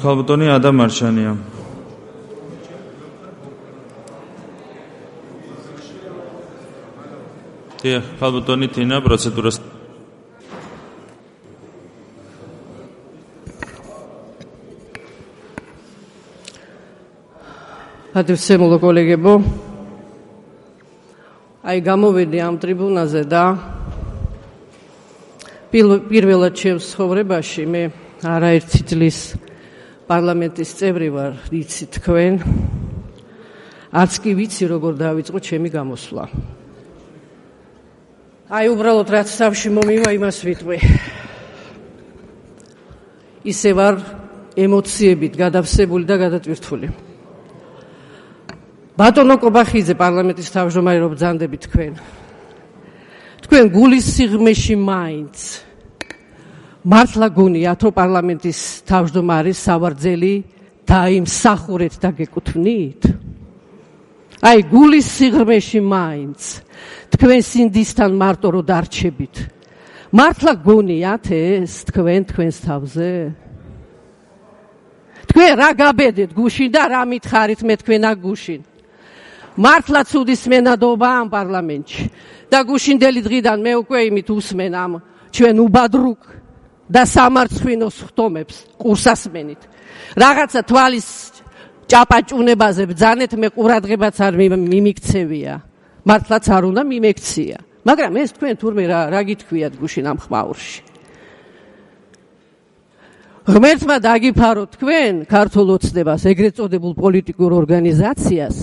ქალბატონი ადამ მარჩანია. ქალბატონი თინა პროცედურას. Adressemolo kolegebo. Ai გამოვედი ამ ტრიბუნაზე და პირველად ჩემს ცხოვრებაში მე არაერთი წლის პარლამენტის წევრი ვარ, იცით თქვენ. არც კი ვიცი როგორ დავიწყო ჩემი გამოსვლა. Ai უბრალოდ რაც თავში მომივა იმას ვიტყვი. ისე ვარ ემოციებით გადავსებული და გადატვირთული. ბატონო კობახიძე პარლამენტის თავმჯდომარე რომ ბრძანდებით თქვენ. თქვენ გულის სიღრმეში მაინც მართლა გონიათ რომ პარლამენტის თავმჯდომარის სავარძელი დაიმსახურეთ და გეკუთვნით? Ai გულის სიღრმეში მაინც თქვენ სინდისთან მარტო რომ დარჩებით. მართლა გონიათ ეს თქვენს თავზე? თქვენ რა გაბედეთ გუშინ და რა მითხარით მე თქვენ აქ გუშინ? მართლა ცუდის მენადობა ამ პარლამენტში და გუშინდელი დღიდან მე უკვე იმით უსმენ ამ ჩვენ უბადრუკ და სამარცხვინოს ხტომებს ყურსასმენით. რაღაცა თვალის ჭაპაჭუნებაზე ბძანეთ მე ყურადღებაც არ მიმიქცევია. მართლაც არ უნდა მიმექცია. მაგრამ ეს თქვენ თურმე რა გითქვიათ გუშინ ამ ხმაურში? ღმერთმა დაგიფაროთ თქვენ ქართულ ოცნებას, ეგრეთ წოდებულ პოლიტიკურ ორგანიზაციას,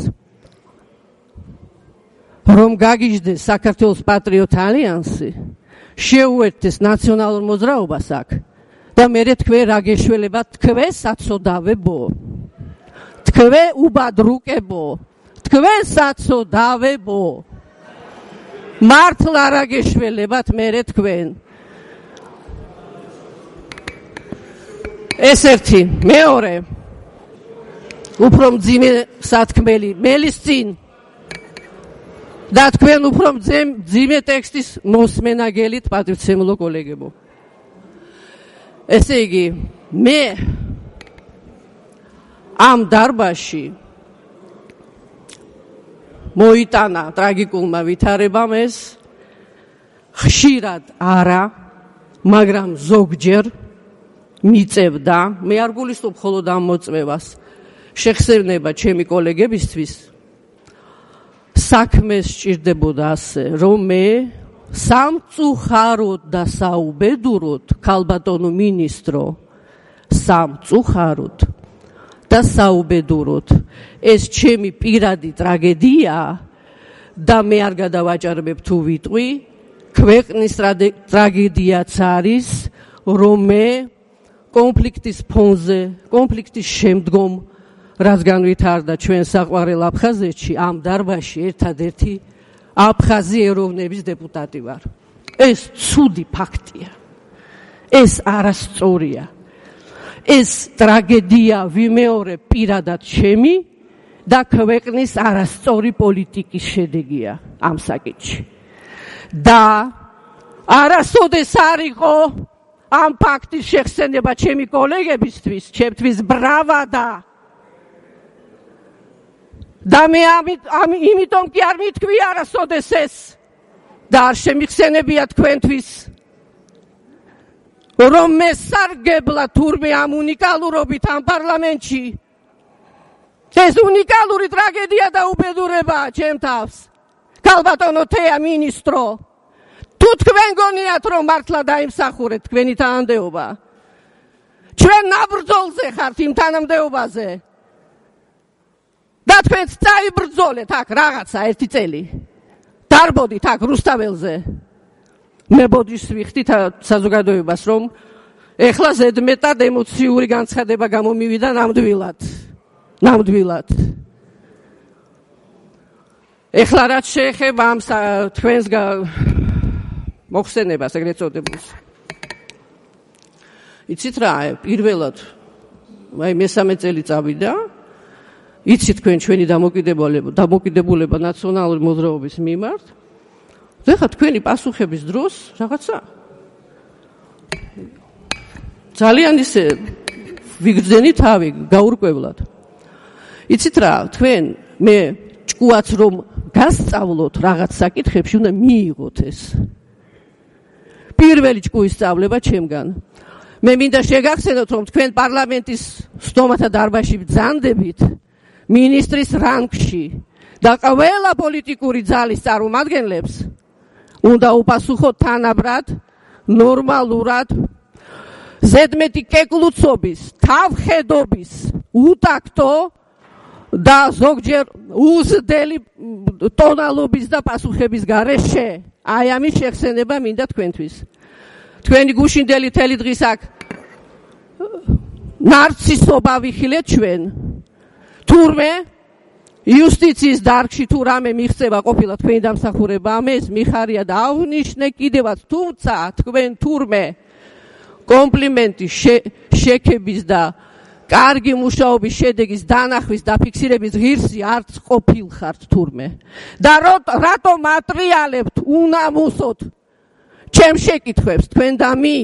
რომ გაგიჟდეს საქართველოს პატრიოტ ალიანსი, შეუერთდეს ნაციონალურ მოძრაობას აქ და მერე თქვენ რა გეშველებათ თქვენ საცოდავებო. თქვენ უბადრუკებო. თქვენ საცოდავებო. მართლა რა გეშველებათ მერე თქვენ. ეს ერთი, მეორე. უფრო მძიმე სათქმელი მელის წინ და თქვენ უფრო მძიმე ტექსტის მოსმენაგელით პატივცემულო კოლეგებო. ესე იგი, მე ამ დარბაზში მოიტანა ტრაგიკულმა ვითარებამ ეს ხშირად არა, მაგრამ ზოგჯერ მიწევდა, მე არ გულისხმობ მხოლოდ ამ მოწმევას, შეხსენება ჩემი კოლეგებისთვის საქმეს სჭირდებოდა ასე, რომ მე სამწუხაროდ და საუბედუროდ, ქალბატონო მინისტრო, სამწუხაროდ და საუბედუროდ ეს ჩემი პირადი ტრაგედია და მე არ გადავაჭარბებ თუ ვიტყვი, ქვეყნის ტრაგედიაც არის, რომ მე კონფლიქტის ფონზე, კონფლიქტის შემდგომ, რაც განვითარდა ჩვენ საყვარელ აფხაზეთში, ამ დარბაზში ერთადერთი აფხაზი ეროვნების დეპუტატი ვარ. ეს ცუდი ფაქტია. ეს არასწორია. ეს ტრაგედია ვიმეორებ პირადად ჩემი და ქვეყნის არასწორი პოლიტიკის შედეგია ამ საკითხში. და არასოდეს არ იყო ამ ფაქტის შეხსენება ჩემი კოლეგებისთვის, ჩემთვის ბრავადა. და მე იმიტომ კი არ მითქვი არასოდეს ეს და არ შემიხსენებია თქვენთვის, რომ მე სარგებლა თურმე ამ უნიკალურობით ამ პარლამენტში. ეს უნიკალური ტრაგედია და უბედურებაა ჩემ თავს. ქალბატონო თეა მინისტრო, თუ თქვენ გონიათ რომ მართლა დაიმსახურეთ თქვენი თანამდებობა, ჩვენ ნაბრძოლზე ხართ იმ თანამდებობაზე და თქვენც წაიბრძოლეთ აქ რაღაცა ერთი წელი. დარბოდით აქ რუსთაველზე. მე ბოდიშს ვიხდით საზოგადოებას, რომ ეხლა ზედმეტად ემოციური განცხადება გამომივიდა ნამდვილად. ეხლა რაც შეეხება ამ თქვენს მოხსენებას ეგრეთ წოდებულს. იცით რა, პირველად მესამე წელი წავიდა, იცით თქვენ ჩვენი დამოკიდებულება ნაციონალური მოძრაობის მიმართ. ეხლა თქვენი პასუხების დროს რაღაცა ძალიან ისე ვიგრძენი თავი გაურკვევლად. იცით რა, თქვენ მე ჭკუაც რომ გასწავლოთ რაღაც საკითხებში, უნდა მიიღოთ ეს. პირველი ჭკუის სწავლება ჩემგან. მე მინდა შეგახსენოთ, რომ თქვენ პარლამენტის სტომათა დარბაზში ბრძანდებით მინისტრის რანგში და ყველა პოლიტიკური ძალის წარმომადგენლებს უნდა უპასუხოთ თანაბრად, ნორმალურად, ზედმეტი კეკლუცობის, თავხედობის, უტაქტო და ზოგჯერ უზრდელი ტონალობის და პასუხების გარეშე. აი ამის შეხსენება მინდა თქვენთვის. თქვენი გუშინდელი თელი დღის აქ ნარცისობა ვიხილეთ ჩვენ. თურმე იუსტიციის დარგში თუ რამე მიღწევა ყოფილა თქვენი დამსახურება, ეს მიხარია და აღნიშნე კიდევაც, თუმცა თქვენ თურმე კომპლიმენტი შექების და კარგი მუშაობის შედეგის დანახვის და ფიქსირების ღირსი არც ყოფილხართ თურმე. და რატომ ატრიალებთ უნამუსოდ ჩემ შეკითხვებს თქვენ და მი?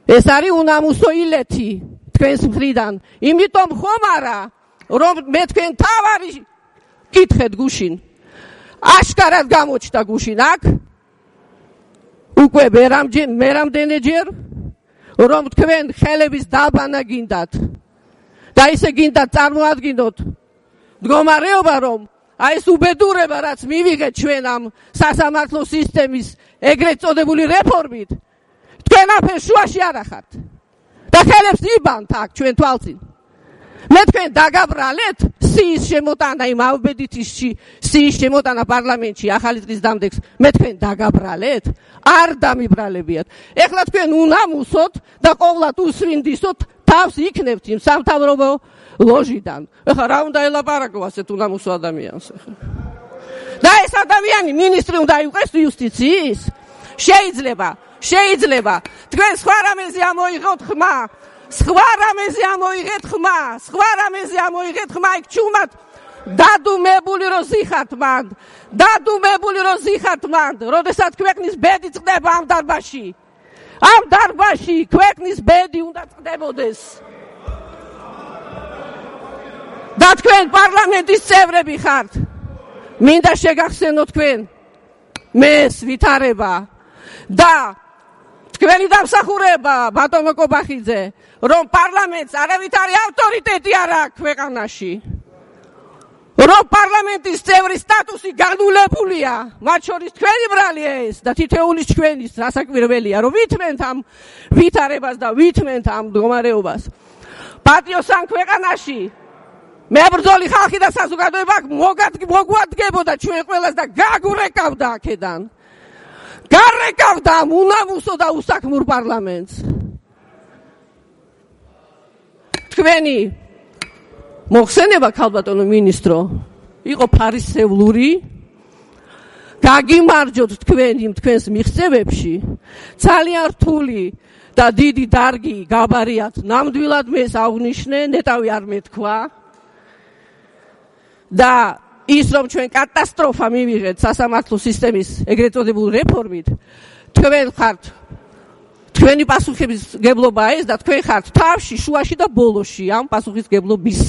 ეს არის უნამუსო ილეთი თქვენს მხრიდან. იმიტომ ხომ არა, რომ მე თქვენ თავარი კითხეთ გუშინ. აშკარად გამოჩნდა გუშინ აქ უკვე მერამდენეჯერ რომ თქვენ ხელების დაბანა გინდათ და ისე გინდათ წარმოადგინოთ მდგომარეობა, რომ აი ეს უბედურება, რაც მივიღეთ ჩვენ ამ სასამართლო სისტემის ეგრეთ წოდებული რეფორმით, თქვენ აფერ შუაში არ ახართ და ხელებს იბანთ აქ ჩვენ თვალწინ. მე თქვენ დაგაბრალეთ სიის შემოტანა, იმ ავბედითში სიის შემოტანა პარლამენტში ახალი წლის დამდეგს, მე თქვენ დაგაბრალეთ? არ დამიბრალებიათ. ეხლა თქვენ უნამუსოთ და ყოვლად უსვინდისოთ თავს იქნებთ იმ სამთავრობო ლოჟიდან. ეხლა რა უნდა ელაპარაკო ასეთ უნამუსო ადამიანს? და ეს ადამიანი მინისტრი უნდა იყოს იუსტიციის? შეიძლება. თქვენ სხვა რამეზე ამოიღოთ ხმა. სხვა რამეზე ამოიღეთ ხმა, იქ ჩუმად დადუმებული რო ზიხართ მანდ, როდესაც ქვეყნის ბედი წდება ამ დარბაზში, ქვეყნის ბედი უნდა წდებოდეს. და თქვენ პარლამენტის წევრები ხართ. მინდა შეგახსენოთ თქვენ მეს ვითარება და თქვენი დამსახურება, ბატონო კობახიძე, რომ პარლამენტს არავითარი ავტორიტეტი არ აქვს ქვეყანაში, რომ პარლამენტის წევრის სტატუსი განულებულია, მათ შორის თქვენი ბრალია ეს და თითოეულის ჩვენის რასაკვირველია, რომ ვითმენთ ამ ვითარებას და ვითმენთ ამ მდგომარეობას. პატიოსან ქვეყანაში მებრძოლი ხალხი და საზოგადოება მოგვადგებოდა ჩვენ ყველას და გაგურეკავდა აქედან. გარეკავდა ამ უნამუსო და უსაქმურ პარლამენტს. თქვენი მოხსენება, ქალბატონო მინისტრო, იყო ფარისევლური. გაგიმარჯოთ თქვენს მიღწევებში. ძალიან რთული და დიდი დარგი გაბარიათ. ნამდვილად მეს აღნიშნე, ნეტავი არ მეთქვა. და ის რომ ჩვენ კატასტროფა მივიღეთ სასამართლო სისტემის ეგრეთ წოდებული რეფორმით, თქვენ ხართ, თქვენი პასუხისმგებლობა ეს და თქვენ ხართ თავში, შუაში და ბოლოში ამ პასუხისმგებლობის.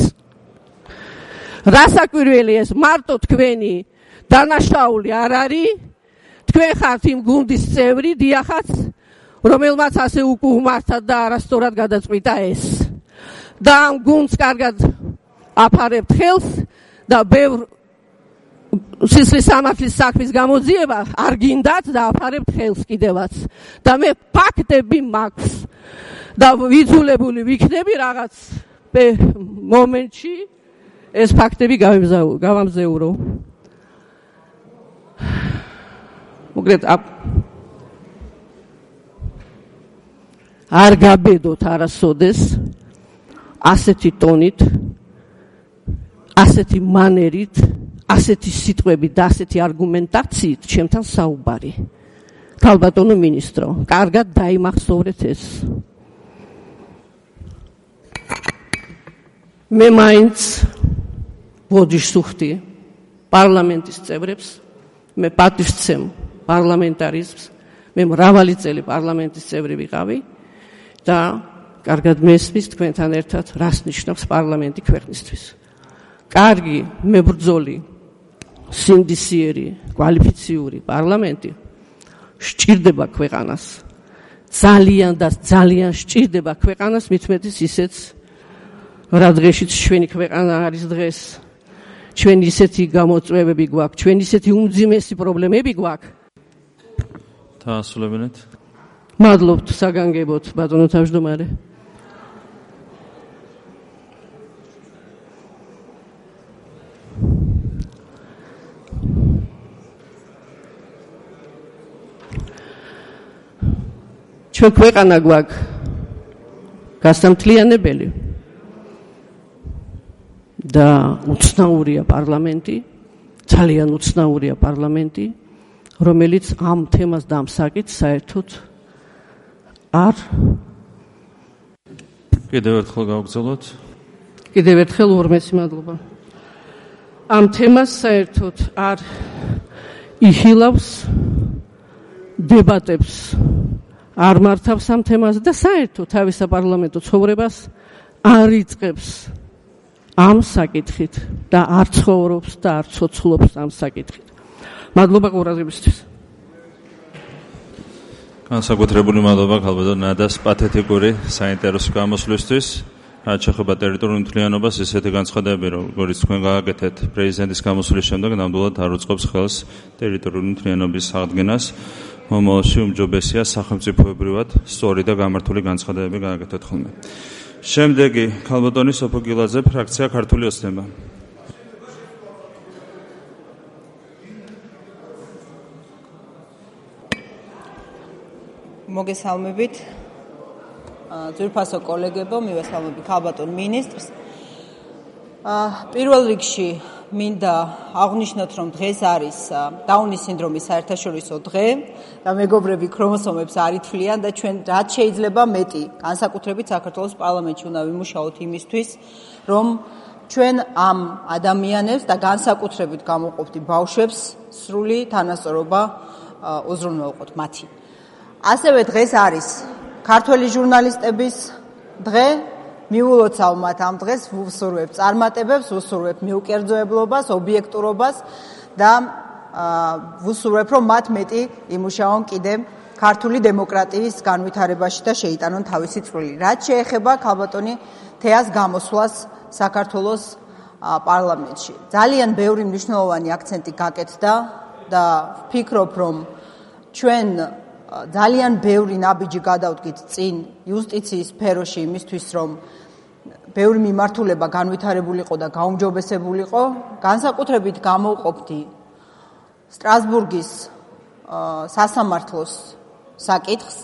რასაკვირველი ეს მარტო თქვენი დანაშაული არ არის, თქვენ ხართ იმ გუნდის წევრი, დიახაც, რომელმაც ასე უკუღმართა და არასწორად გადაწყვიტა ეს. და ამ გუნდს კარგად აფარებთ ხელს და ბევრ სისხლის სამართლის საქმის გამოძიება არ გინდათ და აფარებთ ხელს კიდევაც. და მე ფაქტები მაქვს და ვიძულებული ვიქნები რაღაც მომენტში ეს ფაქტები გავამზეურო. მოკლედ არ გაბედოთ არასოდეს ასეთი ტონით, ასეთი მანერით, ასეთი სიტყვებით და ასეთი არგუმენტაციით ჩემთან საუბარი. ქალბატონო მინისტრო, კარგად დაიმახსოვრეთ ეს. მე მაინც ბოდიშს ვუხდი პარლამენტის წევრებს, მე პატივსცემ პარლამენტარიზმს, მე მრავალი წელი პარლამენტის წევრი ვიყავი და კარგად მესმის თქვენთან ერთად, რას ნიშნავს პარლამენტი ქვეყნისთვის. კარგი, მებრძოლი, სინდისიერი, კვალიფიციური პარლამენტი სჭირდება ქვეყანას. ძალიან და ძალიან სჭირდება ქვეყანას, მით უმეტეს ისეც, რა დღეშიც ჩვენი ქვეყანა არის დღეს. ჩვენ ისეთი გამოწვევები გვაქვს, ჩვენ ისეთი უმძიმესი პრობლემები გვაქვს. დაასრულებინეთ. მადლობთ საგანგებოდ, ბატონო თავმჯდომარე. ჩვენ ქვეყანა გვაქვს გასამთლიანებელი და უცნაურია პარლამენტი, ძალიან უცნაურია პარლამენტი, რომელიც ამ თემას და ამ საკითხს საერთოდ არ კიდევ ერთხელ გავგზავნოთ. კიდევ ერთხელ ორმეცი მადლობა. ამ თემას საერთოდ არ იხილავს დებატებს, არ მართავს ამ თემას და საერთოდ თავის საპარლამენტო ცხოვრებას არ იწყებს ამ საკითხით და არ ცხოვრობს და არ ცოცხლობს ამ საკითხით. მადლობა ყურადღებისთვის. განსაკუთრებული მადლობა ქალბატონ ნადას პათეტიკური საინტერესო გამოსვლისთვის. რაც შეეხება ტერიტორიულ მთლიანობას, ისეთი განცხადებები, როგორც თქვენ გააკეთეთ პრეზიდენტის გამოსვლის შემდეგ, ნამდვილად არ უწყობს ხელს ტერიტორიული მთლიანობის აღდგენას. მომავალში უმჯობესია სახელმწიფოებრივად სწორი და გამართული განცხადებები გააკეთოთ ხოლმე. შემდეგი ქალბატონი სოფო გილაძე, ფრაქცია ქართული ოცნება. მოგესალმებით. ძვირფასო კოლეგებო, მივესალმები ქალბატონ მინისტრს. პირველ რიგში მინდა აღვნიშნოთ, რომ დღეს არის დაუნის სინდრომის საერთაშორისო დღე და მეგობრები ქრომოსომებს არ ითვლიან და ჩვენ რაც შეიძლება მეტი, განსაკუთრებით საქართველოს პარლამენტში უნდა ვიმუშაოთ იმისთვის, რომ ჩვენ ამ ადამიანებს და განსაკუთრებით გამოვყოფთ ბავშვებს სრული თანასწორობა უზრუნველყოთ მათი. ასევე დღეს არის ქართველი ჟურნალისტების დღე. მიულოცავ მათ ამ დღეს, ვუსურვებ წარმატებებს, ვუსურვებ მიუკერძოებლობას, ობიექტურობას და ვუსურვებ, რომ მათ მეტი იმუშაონ კიდე ქართული დემოკრატიის განვითარებაში და შეიტანონ თავისი წვლილი. რაც შეეხება ქალბატონი თეას გამოსვლას საქართველოს პარლამენტში. ძალიან ბევრი მნიშვნელოვანი აქცენტი გაკეთდა და ვფიქრობ, რომ ჩვენ ძალიან ბევრი ნაბიჯი გადავდგით წინ იუსტიციის სფეროში იმისთვის, რომ ბევრი მიმართულება განვითარებულიყო და გაუმჯობესებულიყო. განსაკუთრებით გამოვყოფდი სტრასბურგის სასამართლოს საკითხს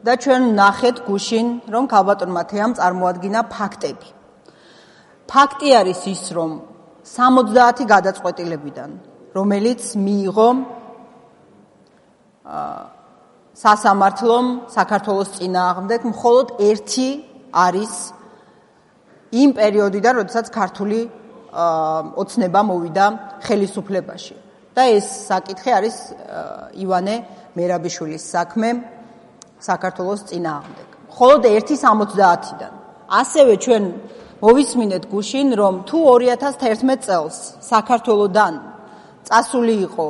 და ჩვენ ნახეთ გუშინ, რომ ქალბატონმა თეამ წარმოადგინა ფაქტები. ფაქტი არის ის, რომ 70 გადაწყვეტილებიდან, რომელიც მიიღო სასამართლომ საქართველოს წინააღმდეგ, მხოლოდ ერთი არის იმ პერიოდიდან, როდესაც ქართული ოცნება მოვიდა ხელისუფლებაში. და ეს საკითხი არის ივანე მერაბიშვილის საქმე საქართველოს წინააღმდეგ. მხოლოდ ერთი 70-დან. ასევე ჩვენ მოვისმინეთ გუშინ, რომ თუ 2011 წელს საქართველოდან წასული იყო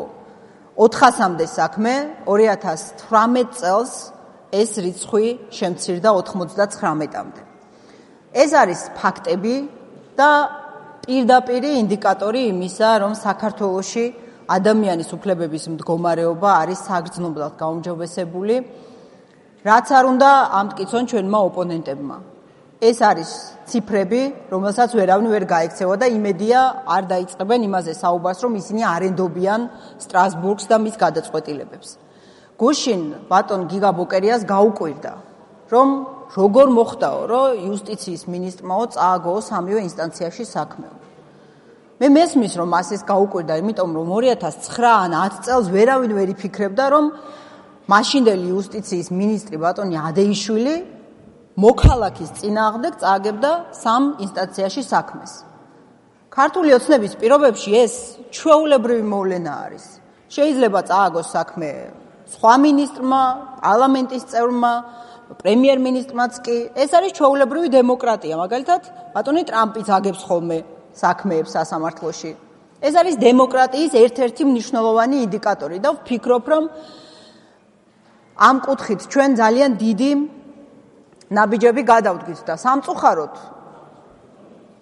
400-მდე საქმე, 2018 წელს ეს რიცხვი შემცირდა 99-მდე. ეს არის ფაქტები და პირდაპირი ინდიკატორი იმისა, რომ საქართველოში ადამიანის უფლებების მდგომარეობა არის საგრძნობლად გაუმჯობესებული, რაც არ უნდა ამტკიცონ ჩვენმა ოპონენტებმა. ეს არის ციფრები, რომელსაც ვერავინ ვერ გაექცევა და იმედია არ დაიწყებენ იმაზე საუბარს, რომ ისინი არ ენდობიან სტრასბურგს და მის გადაწყვეტილებებს. გუშინ ბატონ გიგა ბოკერიას გაუკვირდა, რომ როგორ მოხდაო, რომ იუსტიციის მინისტრმაო წააგოო სამივე ინსტანციაში საქმე. მე მესმის, რომ მას ეს გაუკვირდა, იმიტომ რომ 2009 ან 10 წელს ვერავინ ვერ იფიქრებდა, რომ მაშინდელი იუსტიციის მინისტრი ბატონი ადეიშვილი მოქალაქის წინააღმდეგ წააგებდა სამ ინსტანციაში საქმეს. ქართული ოცნების პირობებში ეს ჩვეულებრივი მოვლენა არის. შეიძლება წააგოს საქმე სხვა მინისტრმა, პარლამენტის წევრმა, პრემიერ-მინისტრმაც კი. ეს არის ჩვეულებრივი დემოკრატია, მაგალითად, ბატონი ტრამპიც აგებს ხოლმე საქმეებს სასამართლოში. ეს არის დემოკრატიის ერთ-ერთი მნიშვნელოვანი ინდიკატორი და ვფიქრობ, რომ ამ კუთხით ჩვენ ძალიან დიდი ნაბიჯები გადავდგით და სამწუხაროდ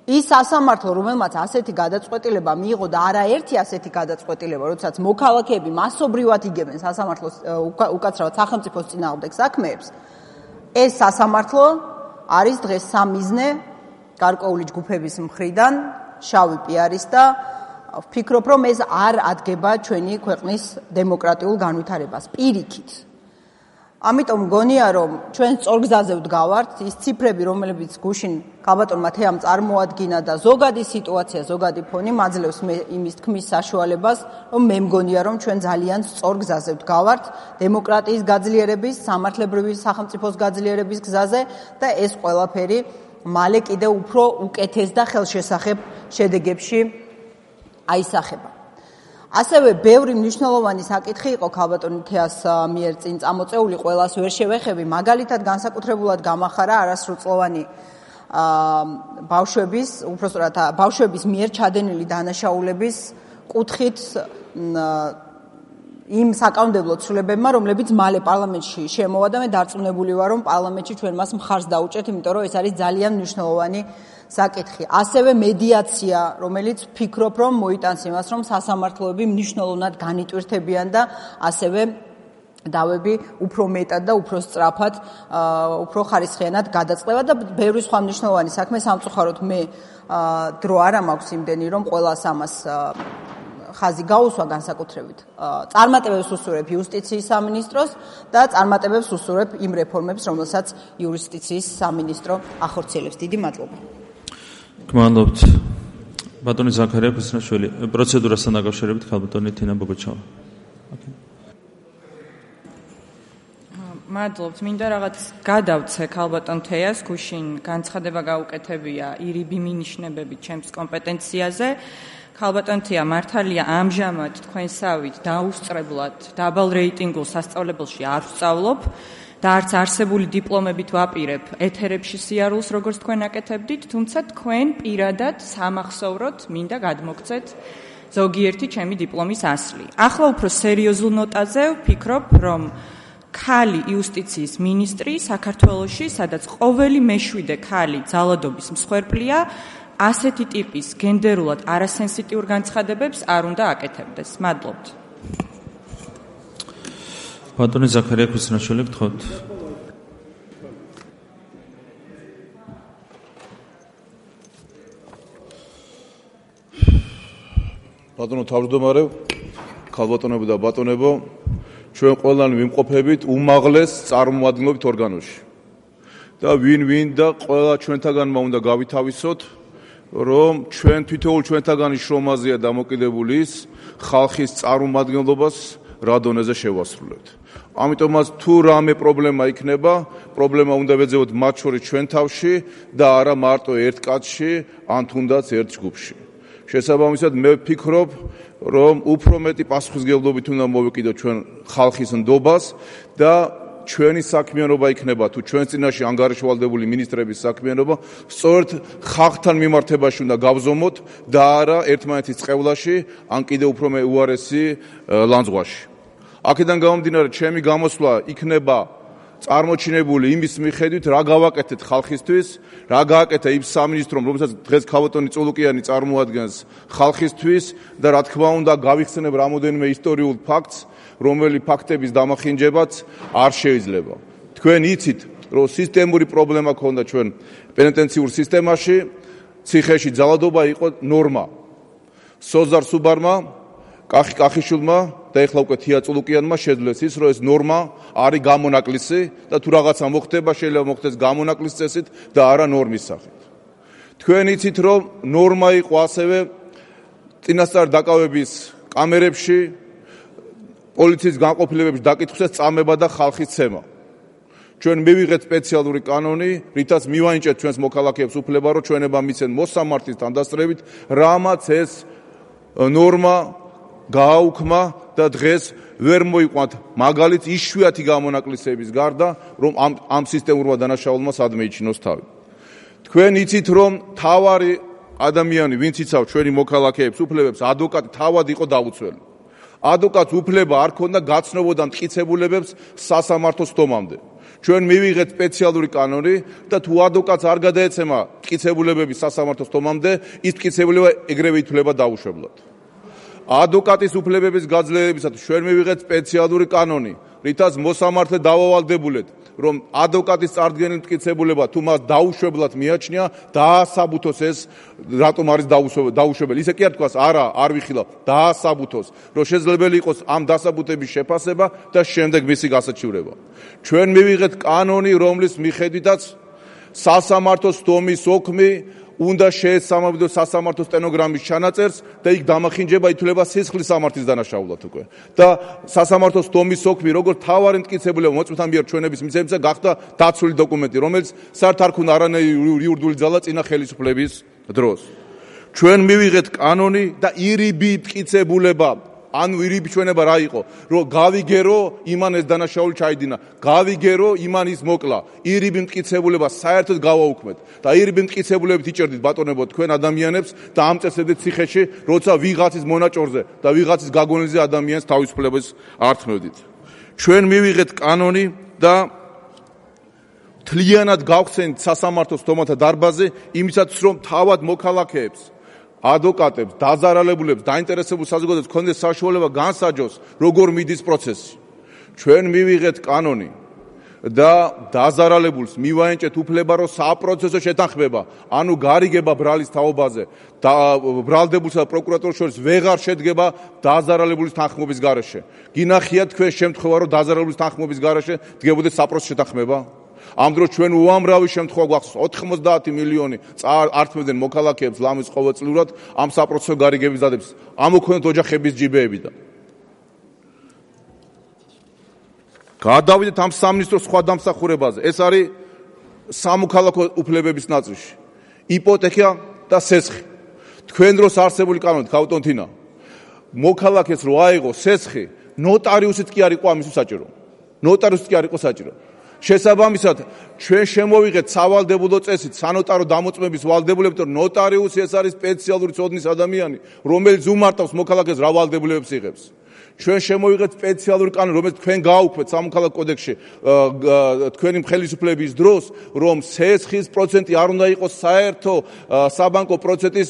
ის სასამართლო, რომელმაც ასეთი გადაწყვეტილება მიიღო და არაერთი ასეთი გადაწყვეტილება, როდესაც მოქალაქეები მასობრივად იგებენ სასამართლოს უკაცრავად სახელმწიფოს წინააღმდეგ საქმეებს, ეს სასამართლო არის დღეს სამიზნე გარკვეული ჯგუფების მხრიდან შავი პიარის და ვფიქრობ, რომ ეს არ ადგება ჩვენი ქვეყნის დემოკრატიულ განვითარებას პირიქით. ამიტომ მგონია, რომ ჩვენ სწორგზაზე ვდგავართ, ის ციფრები, რომლებიც გუშინ ქალბატონმა თეამ წარმოადგინა და ზოგადი სიტუაცია, ზოგადი ფონი მაძლევს იმის თქმის საშუალებას, რომ მე მგონია, რომ ჩვენ ძალიან სწორგზაზე ვდგავართ დემოკრატიის გაძლიერების, სამართლებრივი სახელმწიფოს გაძლიერების გზაზე და ეს ყველაფერი მალე კიდევ უფრო უკეთეს და ხელშესახებ შედეგებში აისახება. ასევე ბევრი მნიშვნელოვანი საკითხი იყო ქალბატონი თეას მიერ წინ წამოწეული, ყველას ვერ შევეხები, მაგალითად განსაკუთრებულად გამახარა არასრულწლოვანი ბავშვების, უпростоრად ბავშვების მიერ ჩადენილი დანაშაულების კუთხით იმ საკანონმდებლო ცვლილებებმა, რომლებიც მალე პარლამენტში შემოვა და მე დარწმუნებული ვარ, რომ პარლამენტში ჩვენ მას მხარს დაუჭერთ, იმიტომ რომ ეს არის ძალიან მნიშვნელოვანი საკითხი. ასევე მედიაცია, რომელიც ვფიქრობ, რომ მოიტანს იმას, რომ სასამართლოები მნიშვნელოვნად განიტვირთებიან და ასევე დავები უფრო მეტად და უფრო სწრაფად, უფრო ხარისხიანად გადაწყდება და ბევრი სხვა მნიშვნელოვანი საქმე. სამწუხაროდ მე დრო არ მაქვს იმდენი, რომ ყველას ამას ხაზი გაუსვა განსაკუთრებით. წარმატებებს უსურვებ იუსტიციის სამინისტროს და წარმატებებს უსურვებ იმ რეფორმებს, რომელსაც იუსტიციის სამინისტრო ახორციელებს. დიდი მადლობა. გმადლობთ. ბატონი ზაქარია ქუსნაშვილი, პროცედურასთან დაკავშირებით ქალბატონი თინა ბოგოჩავა. მადლობთ. მინდა რაღაც გადავცე ქალბატონ თეას, გუშინ განცხადება გაუკეთებია ირიბი მინიშნებებით ჩემს კომპეტენციაზე. ქალბატონ თეა, მართალია ამჟამად თქვენსავით დაუსწრებლად დაბალ რეიტინგულ სასწავლებელში არ ვსწავლობ და არც არსებული დიპლომებით ვაპირებ ეთერებში სიარულს, როგორც თქვენ აკეთებდით, თუმცა თქვენ პირადად სამახსოვროდ მინდა გადმოგცეთ ზოგიერთი ჩემი დიპლომის ასლი. ახლა უფრო სერიოზულ ნოტაზე ვფიქრობ, რომ ქალი იუსტიციის მინისტრი საქართველოში, სადაც ყოველი მეშვიდე ქალი ძალადობის მსხვერპლია, ასეთი ტიპის გენდერულად არასენსიტიურ განცხადებებს არ უნდა აკეთებდეს. მადლობთ. ბატონი ზაქარია ქუსნაშვილი, გთხოვთ. ბატონო თავმჯდომარე, ქალბატონებო და ბატონებო, ჩვენ ყველანი ვიმყოფებით უმაღლეს წარმომადგენლობით ორგანოში. და ვინ და ყველა ჩვენთაგანმა უნდა გავითავისოთ, რომ ჩვენ თითოეულ ჩვენთაგანის შრომაზეა დამოკიდებული ის ხალხის წარმომადგენლობას რა დონეზე შევასრულებთ. ამიტომაც თუ რამე პრობლემა იქნება, პრობლემა უნდა ვეძებოთ მათ შორის ჩვენ თავში და არა მარტო ერთ კაცში, ან თუნდაც ერთ ჯგუფში. შესაბამისად მე ვფიქრობ, რომ უფრო მეტი პასუხისმგებლობით უნდა მოვეკიდოთ ჩვენ ხალხის ნდობას და ჩვენი საქმიანობა იქნება თუ ჩვენს წინაშე ანგარიშვალდებული მინისტრების საქმიანობა სწორედ ხალხთან მიმართებაში უნდა გავზომოთ და არა ერთმანეთის წყევლაში ან კიდევ უფრო უარესი ლანძღვაში. აქედან გამომდინარე, ჩემი გამოსვლა იქნება წარმოჩინებული იმის მიხედვით, რა გავაკეთეთ ხალხისთვის, რა გააკეთა იმ სამინისტრომ, რომელსაც დღეს ქალბატონი წულუკიანი წარმოადგენს ხალხისთვის და რა თქმა უნდა გავიხსენებ რამოდენიმე ისტორიულ ფაქტს, რომელი ფაქტების დამახინჯებაც არ შეიძლება. თქვენ იცით, რომ სისტემური პრობლემა ქონდა ჩვენ პენიტენციურ სისტემაში, ციხეში ძალადობა იყო ნორმა. სოზარ სუბარმა, კახიშვილმა და ეხლა უკვე თია წულუკიანმა შეძლეს ის, რომ ეს ნორმა არის გამონაკლისი და თუ რაღაცა მოხდება, შეიძლება მოხდეს გამონაკლის წესით და არა ნორმის სახით. თქვენ იცით, რომ ნორმა იყო ასევე წინასწარ დაკავების კამერებში, პოლიციის განყოფილებებში დაკითხვისას წამება და ხალხის ცემა. ჩვენ მივიღეთ სპეციალური კანონი, რითაც მივანიჭეთ ჩვენს მოქალაქეებს უფლება, რომ ჩვენება მიცენ მოსამართის თანდასწრებით, რამაც ეს ნორმა გააუქმა და დღეს ვერ მოიყვანთ მაგალითს იშვიათი გამონაკლისების გარდა, რომ ამ სისტემურმა დანაშაულმა სად მეიჩინოს თავი. თქვენ იცით, რომ თავარი ადამიანი, ვინც იცავ ჩვენი მოქალაქეებს, უფლებებს, ადვოკატი თავად იყო დაუცველი. ადვოკატს უფლება არ ქონდა გაცნობოდა მტკიცებულებებს სასამართლო სტომამდე. ჩვენ მივიღეთ სპეციალური კანონი და თუ ადვოკატს არ გადაეცემა მტკიცებულებები სასამართლო სტომამდე, ის მტკიცებულება ეგრევე ითვლება დაუშვებლად. ადვოკატის უფლებების გაძლიერებისათვის ჩვენ მივიღეთ სპეციალური კანონი, რითაც მოსამართლე დავავალდებულეთ, რომ ადვოკატის წარდგენილი მტკიცებულება თუ მას დაუშვებლად მიაჩნია, დაასაბუთოს ეს, რატომ არის დაუშვებელი. ისე კი არ თქვას, არა, არ ვიხილავ, დაასაბუთოს, რომ შესაძლებელი იყოს ამ დასაბუთების შეფასება და შემდეგ მისი გასაჩივრება. ჩვენ მივიღეთ კანონი, რომლის მიხედვითაც სასამართლო სტომის ოქმი უნდა შეესაბამებოდოს სასამართლო სტენოგრამის ჩანაწერს და იქ დამახინჯება ითვლება სისხლის სამართლის დანაშაულად უკვე. და სასამართლო სტომის ოქმი, როგორც თავარი მტკიცებულება მოწმეთა მიერ ჩვენების მიცემისა გახდა დაცული დოკუმენტი, რომელიც საერთოდ არ ქონდა არანაირი იურიდიული ძალა წინა ხელისუფლების დროს. ჩვენ მივიღეთ კანონი და ირიბი მტკიცებულება, ანუ ირიბი ჩვენება რა იყო, რომ გავიგერო იმან ეს დანაშაული ჩაიდინა, გავიგერო იმან ის მოკლა, ირიბი მტკიცებულება საერთოდ გავაუქმეთ და ირიბი მტკიცებულებით იჭერდით ბატონებო თქვენ ადამიანებს და ამწესებდით ციხეში, როცა ვიღაცის მონაჭორზე და ვიღაცის გაგონილზე ადამიანს თავისუფლებას ართმევდით. ჩვენ მივიღეთ კანონი და მთლიანად გავხსენით სასამართლო სტომათა დარბაზზე, იმისათვის რომ თავად მოქალაქეებს, ადვოკატებს, დაზარალებულებს, დაინტერესებულ საზოგადოებას ქონდეს საშუალება განსაჯოს, როგორ მიდის პროცესი. ჩვენ მივიღეთ კანონი და დაზარალებულს მივაენჭეთ უფლება, რომ საპროცესო შეთანხმება, ანუ გარიგება ბრალის თაობაზე და ბრალდებულსა და პროკურატურას შორის ვეღარ შედგება დაზარალებულის თანხმობის გარეშე. გინახიათ თქვენ შემთხვევა, რომ დაზარალებულის თანხმობის გარეშე დგებოდეს საპროცესო შეთანხმება? ამ დროს ჩვენ უამრავი შემთხვევა გვახსოვს, 90 მილიონი ართმევდნენ მოქალაქეებს ლამის ყოველწლიურად ამ საპროცესო გარიგების დადებას. ამოქონდათ ოჯახების ჯიბეებიდან. გადავიდეთ ამ სამინისტროს სხვა დამსახურებაზე. ეს არის სამოქალაქო უფლებების ნაწილში. იპოთეკა და სესხი. თქვენ დროს არსებული კანონით, ქავტონთინა, მოქალაქეს რო აიღო სესხი, ნოტარიუსით კი არ იყო ამისთვის საჭირო. ნოტარიუსით კი არ იყო საჭირო. შესაბამისად, ჩვენ შემოვიღეთ სავალდებულო წესით სანოტარო დამოწმების ვალდებულებით, რომ ნოტარიუსი ეს არის სპეციალური ცოდნის ადამიანი, რომელიც უმარტავს მოქალაქეს რა ვალდებულებებს იღებს. ჩვენ შემოვიღეთ სპეციალური კანონი, რომელიც თქვენ გააუქმეთ სამოქალაქო კოდექსში თქვენი ხელისუფლების დროს, რომ სესხის პროცენტი არ უნდა იყოს საერთო საბანკო პროცენტის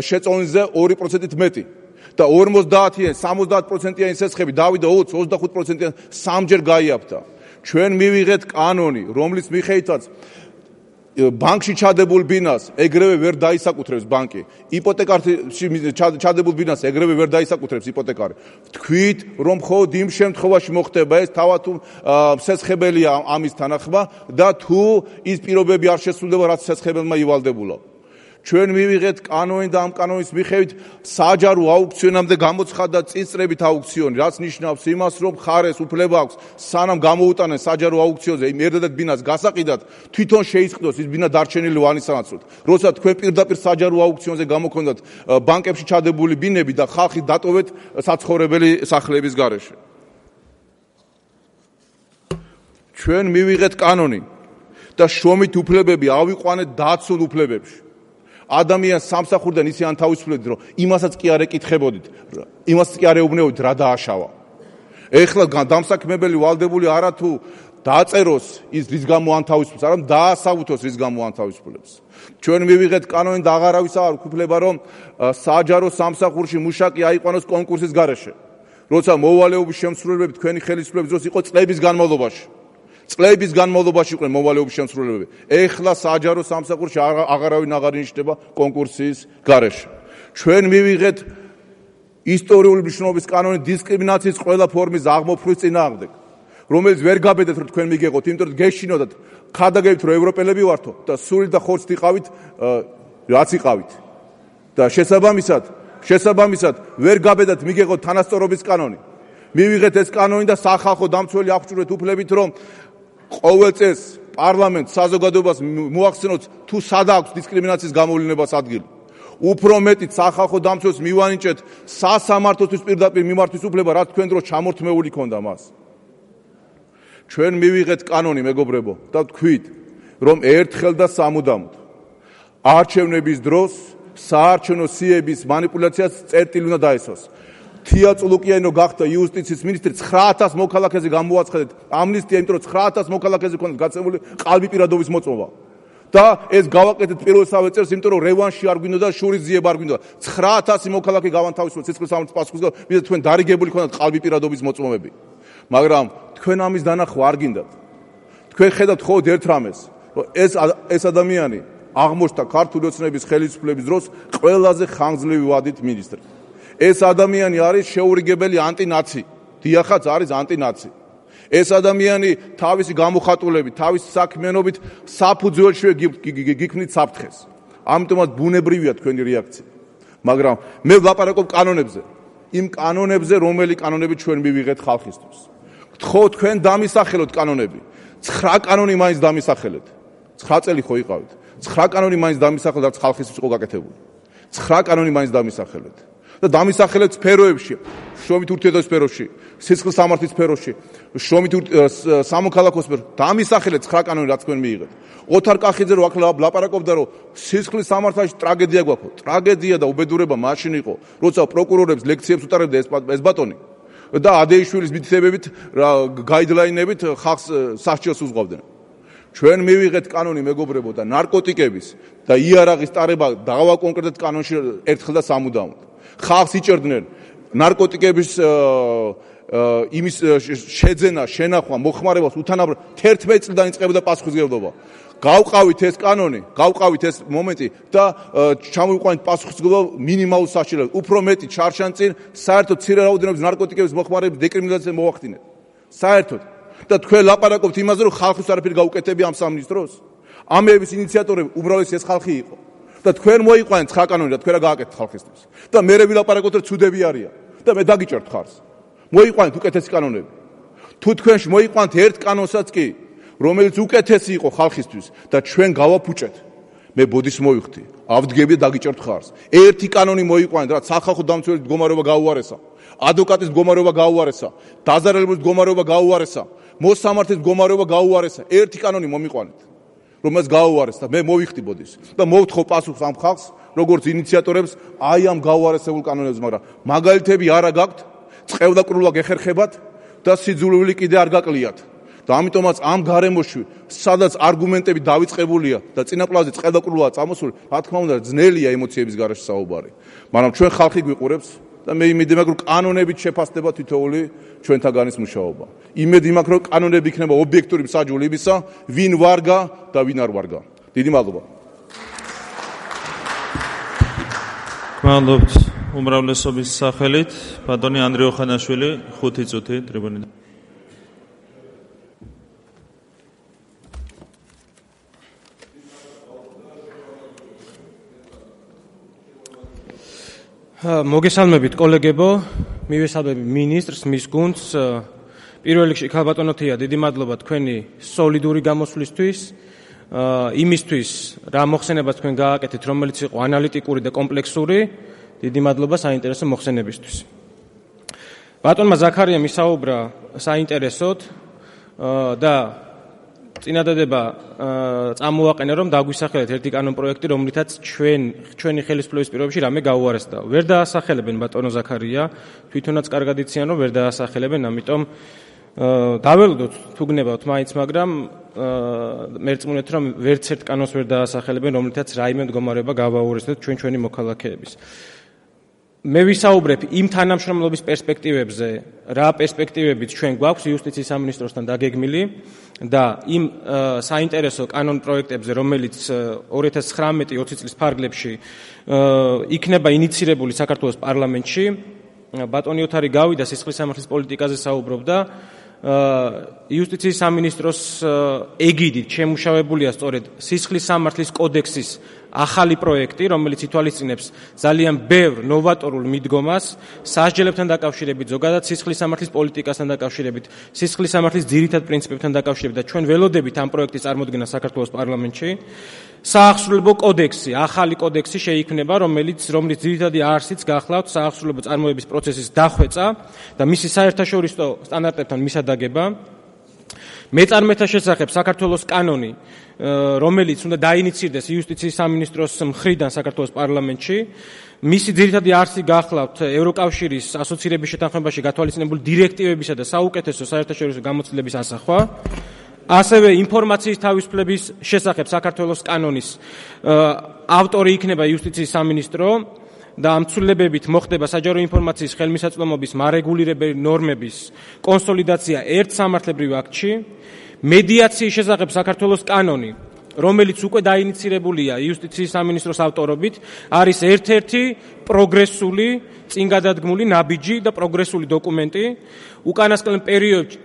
შეწონილზე 2%-ით მეტი. და 50-იან, 70%-იანი სესხები დავიდა 20-25%-იან სამჯერ გაიაფთა. ჩვენ მივიღეთ კანონი, რომლის მიხედვითაც ბანკში ჩადებულ ბინას ეგრევე ვერ დაისაკუთრებს ბანკი. იპოთეკარში ჩადებულ ბინას ეგრევე ვერ დაისაკუთრებს იპოთეკარი. თქვით, რომ მხოლოდ იმ შემთხვევაში მოხდება ეს, თავად თუ სესხებელია ამის თანახმა და თუ ის პირობები არ შესრულდება, რაც სესხებელმა ივალდებულა. ჩვენ მივიღეთ კანონი და ამ კანონის მიხედვით საჯარო აუქციონამდე გამოცხადდა წინწრებით აუქციონი, რაც ნიშნავს იმას, რომ მხარეს უფლება აქვს სანამ გამოუტანენ საჯარო აუქციონზე იმ ერთადერთ ბინას გასაყიდად, თვითონ შეისყიდოს ის ბინა დარჩენილი ვანის სანაცვლოდ. როცა თქვენ პირდაპირ საჯარო აუქციონზე გამოქონდათ ბანკებში ჩადებული ბინები და ხალხი დატოვეთ საცხოვრებელი სახლების გარეშე. ჩვენ მივიღეთ კანონი და შრომით უფლებები ავიყვანეთ დაცულ უფლებებში. ადამიანს სამსახურიდან ისე ან თავისუფლებდით, რომ იმასაც კი არ ეკითხებოდით, იმასაც კი არ ეუბნებოდით, რა დააშავა. ეხლა დამსაქმებელი ვალდებული არა თუ დააწეროს ის რის გამო ან თავისუფლებს, არამედ დაასაბუთოს რის გამო ან თავისუფლებს. ჩვენ მივიღეთ კანონი და აღარავის არ უფლება, რომ საჯარო სამსახურში მუშაკი აიყვანოს კონკურსის გარეშე. როცა მოვალეობის შემსრულებლები თქვენი ხელისუფლების დროს იყო წლების განმავლობაში. წლების განმავლობაში იყვნენ მოვალეობის შემსრულებლები. ეხლა საჯარო სამსახურში აღარავინ აღარ ინიშნება კონკურსის გარეშე. ჩვენ მივიღეთ ისტორიული მნიშვნელობის კანონი დისკრიმინაციის ყველა ფორმის აღმოფხვის წინააღმდეგ, რომელიც ვერ გაბედეთ, რომ თქვენ მიგეღოთ, იმიტომ რომ გეშინოდათ, ხადაგებით, რომ ევროპელები ვართო და სული და ხორცით იყავით, რაც იყავით. და შესაბამისად ვერ გაბედათ მიგეღოთ თანასწორობის კანონი. მივიღეთ ეს კანონი და სახალხო დამცველი აღჭურვეთ უფლებით, რომ ყოველ წელს პარლამენტს საზოგადოებას მოახსენოთ თუ სად აქვს დისკრიმინაციის გამოვლენებას ადგილი. უფრო მეტი სახალხო დამცველს მივანიჭეთ სასამართლოსთვის პირდაპირ მიმართვის უფლება, რაც თქვენ დროს ჩამორთმეული ქონდა მას. ჩვენ მივიღეთ კანონი, მეგობრებო, და ვთქვით, რომ ერთხელ და სამუდამოდ არჩევნების დროს საარჩევნო სიების მანიპულაციას წერტილი უნდა დაესვას. თია წულუკიანო გახდა იუსტიციის მინისტრი, 9,000 მოქალაქეზე გამოაცხადეთ ამნისტია, იმიტომ რომ 9,000 მოქალაქეზე ქონდა გაცემული ყალბი პირადობის მოწმობა. და ეს გავაკეთეთ პირველსავე წელს, იმიტომ რომ რევანში არ გვინდოდა, შურის ძიება არ გვინდოდა. 9,000 მოქალაქე გავანთავისუფლეთ სისხლის სამართლის პასუხისგან, ვიდრე თქვენ დარიგებული ქონდათ ყალბი პირადობის მოწმობები. მაგრამ თქვენ ამის დანახვა არ გინდათ. თქვენ ხედავთ მხოლოდ ერთ რამეს, რომ ეს ადამიანი აღმოჩნდა ქართული ოცნების ხელისუფლების დროს ყველაზე ხანგრძლივი ვადით მინისტრი. ეს ადამიანი არის შეურიგებელი ანტინაცი. დიახაც არის ანტინაცი. ეს ადამიანი თავისი გამოხატულებით, თავისი საქმიანობით საფუძველშივე გიქმნით საფრთხეს. ამიტომაც ბუნებრივია თქვენი რეაქცია. მაგრამ მე ვლაპარაკობ კანონებზე. იმ კანონებზე, რომელი კანონები ჩვენ მივიღეთ ხალხისთვის. გთხოვ თქვენ დამისახელოთ კანონები. 9 კანონი მაინც დამისახელეთ. 9 წელი ხო იყავით. 9 კანონი მაინც დამისახელეთ, რაც ხალხისთვის იყო გაკეთებული. 9 კანონი მაინც დამისახელეთ. და დამისახელეთ სფეროებში, შრომით ურთიერთობის სფეროში, სისხლის სამართლის სფეროში, შრომით სამოქალაქო სფეროში. დამისახელეთ 9 კანონი, რაც თქვენ მიიღეთ. ოთარ კახიძე რო აქ ლაპარაკობდა, რომ სისხლის სამართალში ტრაგედია გვაქვს. ტრაგედია და უბედურება მაშინ იყო, როცა პროკურორებს ლექციებს უტარებდა ეს ბატონი და ადეიშვილის მითითებებით, გაიდლაინებით ხალხს სასჯელს უზღვავდნენ. ჩვენ მივიღეთ კანონი, მეგობრებო, და ნარკოტიკების და იარაღის ტარება დავაკონკრეტეთ კანონში ერთხელ და სამუდამოდ. ხალხს იჭერდნენ ნარკოტიკების იმის შეძენა, შენახვა, მოხმარებას უთანაბრად 11 წლიდან იწყებოდა პასუხისმგებლობა. გავყავით ეს კანონი, გავყავით ეს მომენტი და ჩამოვიყვანით პასუხისმგებლობა მინიმალურ სასჯელად. უფრო მეტი ჩარჩანწინ საერთოდ მცირე რაოდენობის ნარკოტიკების მოხმარების დეკრიმინალიზაცია მოახდინეთ. საერთოდ და თქვენ ლაპარაკობთ იმაზე, რომ ხალხის არაფერი გაუკეთებია ამ სამინისტროს. ამების ინიციატორები უბრალესი ეს ხალხი იყო. და თქვენ მოიყვანეთ 9 კანონი და თქვენ რა გააკეთეთ ხალხისთვის. და მერე ვილაპარაკოთ, რომ ცუდები არიან. და მე დაგიჭერთ ხარს. მოიყვანეთ უკეთესი კანონები. თუ თქვენში მოიყვანეთ ერთ კანონსაც კი, რომელიც უკეთესი იყო ხალხისთვის და ჩვენ გავაფუჭეთ, მე ბოდის მოვიხდი, ავდგები და დაგიჭერთ ხარს. ერთი კანონი მოიყვანეთ, რაც სახალხო დამცველის მდგომარეობა გაუარესა, ადვოკატის მდგომარეობა გაუარესა, დაზარალების მდგომარეობა გაუარესა, მოსამართლის მდგომარეობა გაუარესა. ერთი კანონი მომიყვანეთ, რომელსაც გაუარეს და მე მოვიხდი ბოდის და მოვთხოვ პასუხს ამ ხალხს, როგორც ინიციატორებს, აი ამ გაუარესებულ კანონებს, მაგრამ მაგალითები არა გაქვთ, წყევდაკრულვა გეხერხებათ და სიძულვილი კიდე არ გაკლიათ. და ამიტომაც ამ გარემოში, სადაც არგუმენტები დავიწყებულია და წინაპლაზე წყევდაკრულვაა წამოსული, რა თქმა უნდა, ძნელია ემოციების გარეშე საუბარი. მაგრამ ჩვენ ხალხი გვიყურებს და მე იმედი მაქვს, რომ კანონებით შეფასდება თითოეული ჩვენთაგანის მუშაობა. იმედი მაქვს, რომ კანონები იქნება ობიექტური მსაჯული იმისა, ვინ ვარგა და ვინ არ ვარგა. დიდი მადლობა. გმადლობთ უმრავლესობის სახელით, ბატონი ანდრე ოხანაშვილი, 5 წუთი ტრიბუნიდან. მოგესალმებით კოლეგებო, მივესალმები ministrს, მის გუნდს. პირველ რიგში ქალბატონოთია, დიდი მადლობა თქვენი სოლიდური გამოსვლისთვის, იმისთვის რა მოხსენება თქვენ გააკეთეთ, რომელიც იყო ანალიტიკური და კომპლექსური. დიდი მადლობა საინტერესო მოხსენებისთვის. ბატონმა ზაქარიამ ისაუბრა საინტერესოდ და წინადადება წამოაყენა, რომ დაგვისახელეთ ერთი კანონ პროექტი, რომლითაც ჩვენი ხელისუფლების პირობებში რამე გაუარესდა. ვერ დაასახელებენ ბატონო ზაქარია, თვითონაც კარგად იციან, რომ ვერ დაასახელებენ, ამიტომ დაველოდოთ თუ გნებავთ მაინც, მაგრამ მერწმუნეთ, რომ ვერც ერთ კანონს ვერ დაასახელებენ, რომლითაც რაიმე მდგომარეობა გავაუარესდეთ ჩვენი მოქალაქეების. მე ვისაუბრებ იმ თანამშრომლობის პერსპექტივებზე, რა პერსპექტივებით ჩვენ გვაქვს იუსტიციის სამინისტროსთან დაგეგმილი და იმ საინტერესო კანონ პროექტებზე, რომელიც 2019-20 წლის ფარგლებში იქნება ინიცირებული საქართველოს პარლამენტში. ბატონი ოთარი გავიდა სისხლის სამართლის პოლიტიკაზე საუბრობდა. იუსტიციის სამინისტროს ეგიდით შემუშავებულია სწორედ სისხლის სამართლის კოდექსის ახალი პროექტი, რომელიც ითვალისწინებს ძალიან ბევრ ნოვატორულ მიდგომას სასჯელებთან დაკავშირებით, ზოგადად სისხლის სამართლის პოლიტიკასთან დაკავშირებით, სისხლის სამართლის ძირითად პრინციპებთან დაკავშირებით და ჩვენ ველოდებით ამ პროექტის წარმოდგენა საქართველოს პარლამენტში. საახსრულებო კოდექსი, ახალი კოდექსი შეიქმნება, რომელიც ძირითადი არსიც გახლავთ საახსრულებო წარმოების პროცესის დახვეწა და მისი საერთაშორისო სტანდარტებთან მისადაგება. მეწარმეთა შესახებ საქართველოს კანონი, რომელიც უნდა დაინიცირდეს იუსტიციის სამინისტროს მხრიდან საქართველოს პარლამენტში, მისი ძირითადი არსი გახლავთ ევროკავშირის ასოცირების შეთანხმებაში გათვალისწინებული დირექტივებისა და საუკეთესო საერთაშორისო გამოცდილების ასახვა. ასევე ინფორმაციის თავისუფლების შესახებ საქართველოს კანონის ავტორი იქნება იუსტიციის სამინისტრო და ამ ცვლილებებით მოხდება საჯარო ინფორმაციის ხელმისაწვდომობის მარეგულირებელი ნორმების კონსოლიდაცია ერთ სამართლებრივ აქტში. მედიაციის შესახებ საქართველოს კანონი, რომელიც უკვე დაინიცირებულია იუსტიციის სამინისტროს ავტორობით, არის ერთ-ერთი პროგრესული, წინგადადგმული ნაბიჯი და პროგრესული დოკუმენტი. უკანასკნელ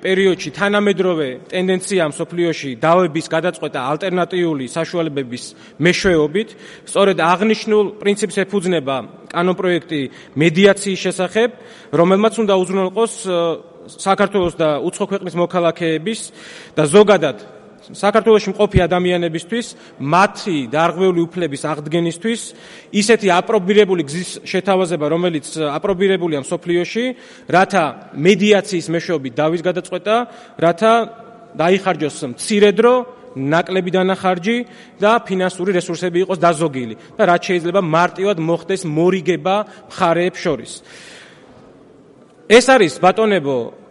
პერიოდში თანამედროვე ტენდენციაა მსოფლიოში დავების გადაწყვეტა ალტერნატიული საშუალებების მეშვეობით. სწორედ აღნიშნულ პრინციპს ეფუძნება კანონპროექტი მედიაციის შესახებ, რომელმაც უნდა უზრუნველყოს საქართველოს და უცხო ქვეყნის მოქალაქეების და ზოგადად საქართველოში მყოფი ადამიანებისთვის მათი დარღვეული უფლების აღდგენისთვის ისეთი აპრობირებული გზის შეთავაზება, რომელიც აპრობირებულია მსოფლიოში, რათა მედიაციის მეშვეობით დავის გადაწყვეტა, რათა დაიხარჯოს მცირე დრო, ნაკლები დანახარჯი და ფინანსური რესურსები იყოს დაზოგილი და რაც შეიძლება მარტივად მოხდეს მორიგება მხარეებს შორის. ეს არის ბატონებო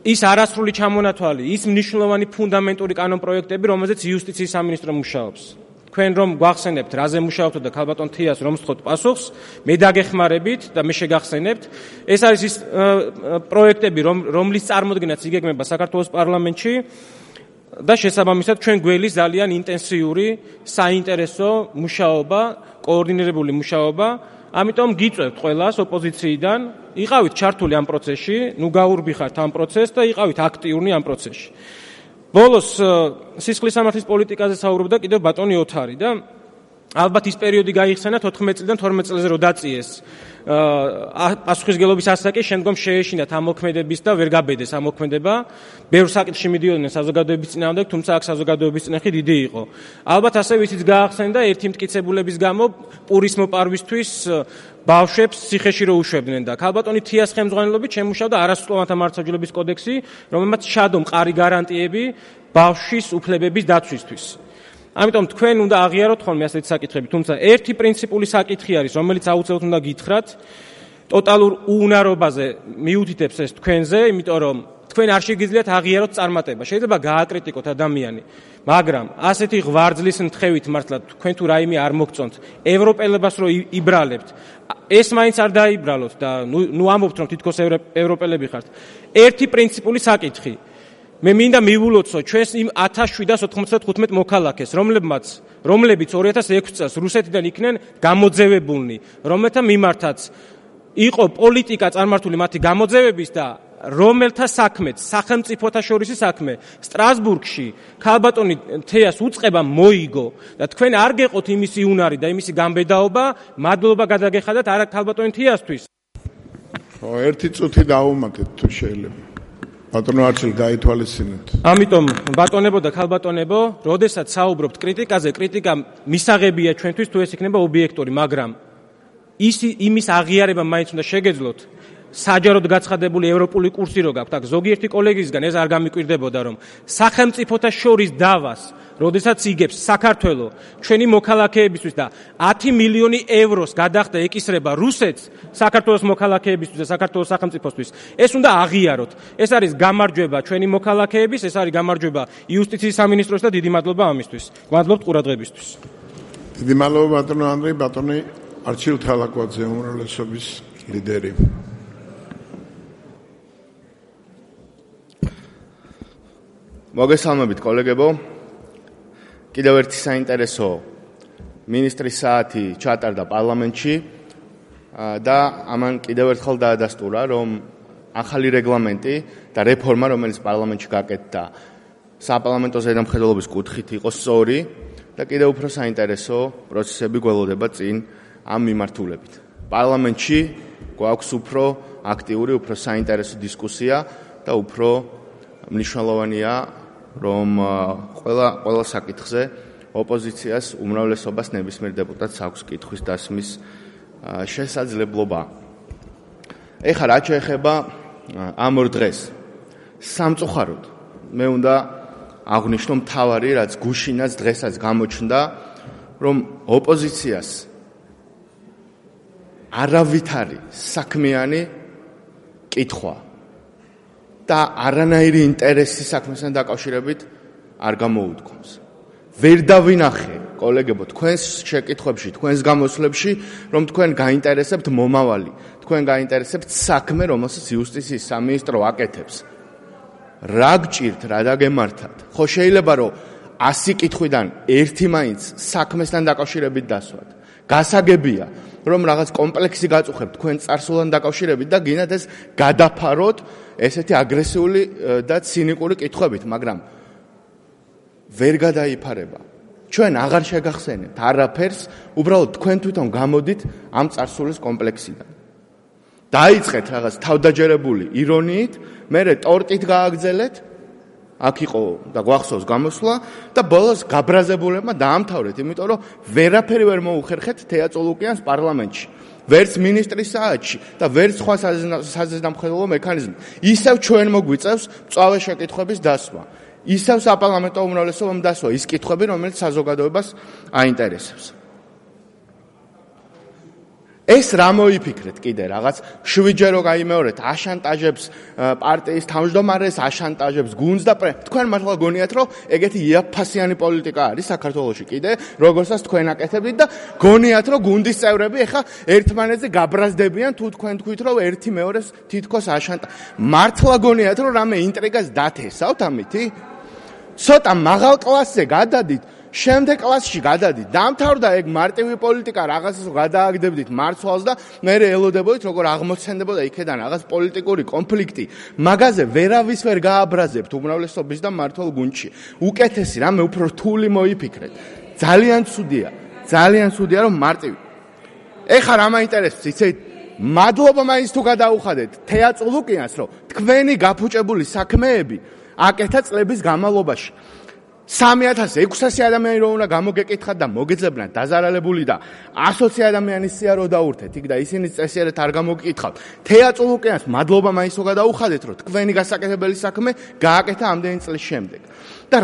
ის არასრული ჩამონათვალი, ის მნიშვნელოვანი ფუნდამენტური კანონპროექტები, რომელზეც იუსტიციის სამინისტრო მუშაობს. თქვენ რომ გვახსენებთ, რაზე მუშაობთ და ქალბატონ თიას რომ სთხოვთ პასუხს, მე დაგეხმარებით და მე შეგახსენებთ. ეს არის ის პროექტები, რომლის წარმოდგენაც იგეგმება საქართველოს პარლამენტში და შესაბამისად ჩვენ გველის ძალიან ინტენსიური საინტერესო მუშაობა, კოორდინირებული მუშაობა. ამიტომ გიწევთ ყველას ოპოზიციიდან, იყავით ჩართული ამ პროცესში, გაურბიხართ ამ პროცესს და იყავით აქტიურნი ამ პროცესში. ბოლოს სისხლის სამართლის პოლიტიკაზე საუბრობდა კიდევ ბატონი ოთარი და ალბათ ის პერიოდი გაიხსენა 14 წლიდან 12 წელზე რო დაწიეს პასუხისგებლობის ასაკი, შემდგომ შეეშინათ ამ მოქმედების და ვერ გაბედეს ამ მოქმედება. ბევრ საკითხში მიდიოდნენ საზოგადოების წინააღმდეგ, თუმცა აქ საზოგადოების წინახი დიდი იყო. ალბათ ასევე ისიც გაახსენდა ერთი მტკიცებულების გამო პურის მოპარვისთვის ბავშვებს ციხეში რო უშვებდნენ და ქალბატონი თიას ხელმძღვანელობით შემუშავდა არასრულოვანთა მართლმსაჯულების კოდექსი, რომელმაც ჩადო მყარი გარანტიები ბავშვის უფლებების დაცვისთვის. ამიტომ თქვენ უნდა აღიაროთ ხოლმე ასეთი საკითხები, თუმცა ერთი პრინციპული საკითხი არის, რომელიც აუცილებლად უნდა გითხრათ, ტოტალურ უუნარობაზე მიუთითებს ეს თქვენზე, იმიტომ რომ თქვენ არ შეგიძლიათ აღიაროთ წარმატება. შეიძლება გააკრიტიკოთ ადამიანი, მაგრამ ასეთი ღვარძლის მთხოვით მართლა თქვენ თუ რაიმე არ მოგწონთ, ევროპელებას რო იბრალებთ, ეს მაინც არ დაიბრალოთ და ნუ ამბობთ რომ თითქოს ევროპელები ხართ. ერთი პრინციპული საკითხი. მე მინდა მივულოცო ჩვენს იმ 1795 მოქალაქეს, რომლებიც 2006 წელს რუსეთიდან იქნენ გამოძევებულნი, რომელთა მიმართაც იყო პოლიტიკა წარმართული მათი გამოძევების და რომელთა საქმეც, სახელმწიფოთა შორისი საქმე სტრასბურგში ქალბატონი თეას უწყება მოიგო და თქვენ არ გეყოთ იმისი უნარი და იმისი გამბედაობა, მადლობა გადაგეხადათ არა ქალბატონი თეასთვის. ერთი წუთი დაუმატეთ თუ შეიძლება. ბატონო არჩილ გაითვალისწინეთ. ამიტომ ბატონებო და ქალბატონებო, როდესაც საუბრობთ კრიტიკაზე, კრიტიკა მისაღებია ჩვენთვის თუ ეს იქნება ობიექტური, მაგრამ იმის აღიარება მაინც უნდა შეგეძლოთ. საჯაროდ გაცხადებული ევროპული კურსი რო გაქვთ, აქ ზოგიერთი კოლეგისგან ეს არ გამიკვირდებოდა, რომ სახელმწიფოთა შორის დავას, როდესაც იგებს საქართველო ჩვენი მოქალაქეებისთვის და 10 მილიონი ევროს გადახდა ეკისრება რუსეთს საქართველოს მოქალაქეებისთვის და საქართველოს სახელმწიფოსთვის, ეს უნდა აღიაროთ. ეს არის გამარჯვება ჩვენი მოქალაქეების, ეს არის გამარჯვება იუსტიციის სამინისტროს და დიდი მადლობა ამისთვის. გმადლობთ ყურადღებისთვის. დიდი მადლობა ბატონო ანდრეი, ბატონი არჩილ თალაკვაძე, უმრავლესობის ლიდერი. მოგესალმებით კოლეგებო. კიდევ ერთი საინტერესო მინისტრის საათი ჩატარდა პარლამენტში და ამან კიდევ ერთხელ დაადასტურა, რომ ახალი რეგლამენტი და რეფორმა, რომელიც პარლამენტში გაკეთდა, საპარლამენტო ზედამხედველობის კუთხით იყო სწორი და კიდევ უფრო საინტერესო პროცესები გველოდება წინ ამ მიმართულებით. პარლამენტში გვაქვს უფრო აქტიური, უფრო საინტერესო დისკუსია და უფრო მნიშვნელოვანია, რომ ყველა საკითხზე ოპოზიციას უმრავლესობას ნებისმიერ დეპუტატს აქვს კითხვის დასმის შესაძლებლობა. ეხლა რაც შეეხება ამ ორ დღეს სამწუხაროდ მე უნდა აღნიშნო მთავარი, რაც გუშინაც დღესაც გამოჩნდა, რომ ოპოზიციას არავითარი საქმიანი კითხვა და არანაირი ინტერესი საქმესთან დაკავშირებით არ გამოუდგომს. ვერ დავინახე, კოლეგებო, თქვენს შეკითხვებში, თქვენს გამოსვლებში, რომ თქვენ გაინტერესებთ მომავალი, თქვენ გაინტერესებთ საქმე, რომელსაც იუსტიციის სამინისტრო აკეთებს. რა გჭირთ, რა დაგემართათ? ხო შეიძლება რომ 100 კითხვიდან ერთი მაინც საქმესთან დაკავშირებით დასვათ. გასაგებია, რომ რაღაც კომპლექსი გაწუხებთ თქვენ წარსულთან დაკავშირებით და გინდათ ეს გადაფაროთ ესეთი აგრესიული და ცინიკური კითხვებით, მაგრამ ვერ გადაიფარება. ჩვენ აღარ შეგახსენებთ არაფერს, უბრალოდ თქვენ თვითონ გამოდით ამ წარსულის კომპლექსიდან. დაიწყეთ რაღაც თავდაჯერებული ირონიით, მერე ტორტით გააგრძელეთ, აქ იყო და გვახსოვს გამოსვლა და ბოლოს გაბრაზებულებმა დაამთავრეთ, იმიტომ რომ ვერაფერი ვერ მოუხერხეთ თეა წოლუკიანს პარლამენტში. ვერც მინისტრის საათში და ვერც სხვა საზედამხედველო მექანიზმი. ისევ ჩვენ მოგვიწევს მწვავე შეკითხვების დასვა. ისევ საპარლამენტო უმრავლესობამ დასვა ის კითხვები, რომელიც საზოგადოებას აინტერესებს. ეს რა მოიფიქრეთ კიდე რაღაც 7-ჯერ რო გაიმეორეთ, აშანტაჟებს პარტიის თავმჯდომარეს, აშანტაჟებს გუნდს და თქვენ მართლა გონიათ, რომ ეგეთი იაფფასიანი პოლიტიკა არის საქართველოში კიდე, როგორცაც თქვენ აკეთებთ და გონიათ, რომ გუნდის წევრები ეხა ერთმანეთზე გაბრაზდებიან, თუ თქვენ თქვით, რომ ერთი მეორეს თითქოს მართლა გონიათ, რომ რამე ინტრიგას დათესავთ ამითი? ცოტა მაღალ კლასზე გადადით, შემდეგ კლასში გადადით, დამთავრდა ეგ მარტივი პოლიტიკა, რაღაცას გადააგდებდით მარცვალს და მე ელოდებოდით, როგორ აღმოცენდებოდა იქედან რაღაც პოლიტიკური კონფლიქტი. მაგაზე ვერავის ვერ გააბრაზებთ უმრავლესობის და მართლ გუნდში. უკეთესი რამე უფრო რთული მოიფიქრეთ. ძალიან ცუდია, რომ მარტივი. ეხლა რა მაინტერესებს, იცით? მადლობა მაინც თუ გადაუხადეთ თეა წულუკიანს, რომ თქვენი გაფუჭებული საქმეები აკეთა წლების განმავლობაში. 3600 ადამიანი რო უნდა გამოგეკითხათ და მოგეძებნათ დაზარალებული და 120 ადამიანის სია რო დაურთეთ იქ და ისინი წესიერად არ გამოგეკითხავთ. თეა წულუკიანს მადლობა მაინც თუ გადაუხადეთ, რომ თქვენი გასაკეთებელი საქმე გააკეთა ამდენი წლის შემდეგ. და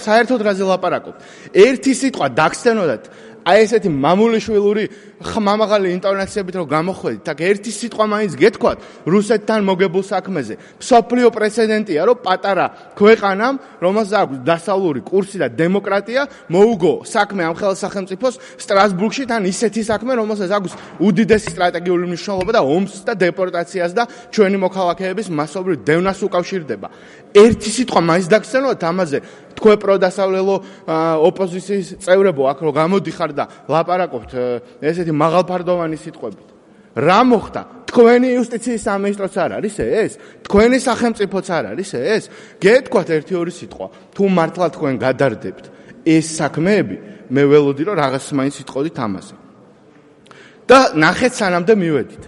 საერთოდ რაზე ლაპარაკობთ? ერთი სიტყვა დაგსცენოდათ აი ესეთი მამულიშვილური ხმამაღალი ინტონაციებით რომ გამოხვედით, აქ ერთი სიტყვა მაინც გეთქვათ რუსეთთან მოგებულ საქმეზე. მსოფლიო პრეცედენტია, რომ პატარა ქვეყანამ, რომელსაც აქვს დასავლური კურსი და დემოკრატია, მოუგო საქმე ამ ხელსახელმწიფოს სტრასბურგში თან ისეთი საქმე, რომელსაც აქვს უდიდესი სტრატეგიული მნიშვნელობა და ომს და დეპორტაციას და ჩვენი მოქალაქეების მასობრივ დევნას უკავშირდება. ერთი სიტყვა მაინც დაგსცენოთ ამაზე. თქვენ პროდასავლელო ოპოზიციის წევრებო აქ რომ გამოდიხარ და ლაპარაკობთ ესეთი მაღალფარდოვანი სიტყვებით. რა მოხდა? თქვენი იუსტიციის სამინისტროც არ არის ეს? თქვენი სახელმწიფოც არ არის ეს? გეთქვათ ერთი-ორი სიტყვა. თუ მართლა თქვენ გადარდებთ ეს საქმეები, მე ველოდი რომ რაღაც მაინც სიტყოდით ამაზე. და ნახეთ სანამდე მივედით.